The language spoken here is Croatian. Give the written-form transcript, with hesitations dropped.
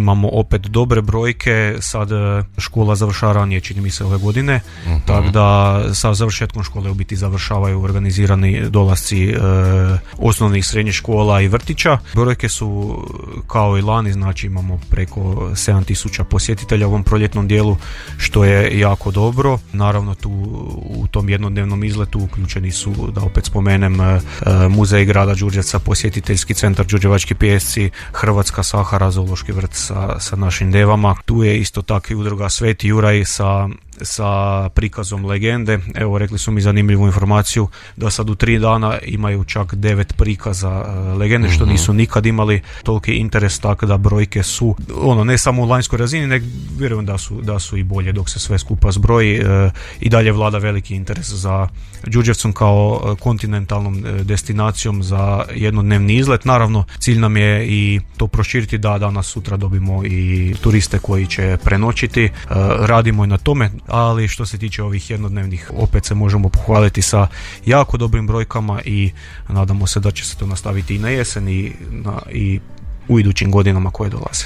imamo opet dobre brojke, sad škola završava ranije, čini mi se ove godine, tako da sa završetkom škole u biti završavaju organizirani dolasci osnovnih, srednjih škola i vrtića. Brojke su kao i lani, znači imamo preko 7000 posjetitelja u ovom proljetnom dijelu, što je jako dobro. Naravno tu u tom jednodnevnom izletu uključeni su, da opet spomenem, muzej grada Đurđevca, posjetiteljski centar Đurđevački pijesci, Hrvatska Sahara, zoološki vrt sa našim devama. Tu je isto tako i udruga Sveti Juraj sa prikazom legende. Evo, rekli su mi zanimljivu informaciju da sad u 3 dana imaju čak 9 prikaza legende, što nisu nikad imali toliki interes, tako da brojke su ne samo u lanjskoj razini, nego vjerujem da su i bolje dok se sve skupa zbroji. I dalje vlada veliki interes za Đurđevcom kao kontinentalnom destinacijom za jednodnevni izlet. Naravno, cilj nam je i to proširiti da danas sutra dobimo i turiste koji će prenoćiti. Radimo i na tome, ali što se tiče ovih jednodnevnih, opet se možemo pohvaliti sa jako dobrim brojkama i nadamo se da će se to nastaviti i na jesen i u idućim godinama koje dolaze.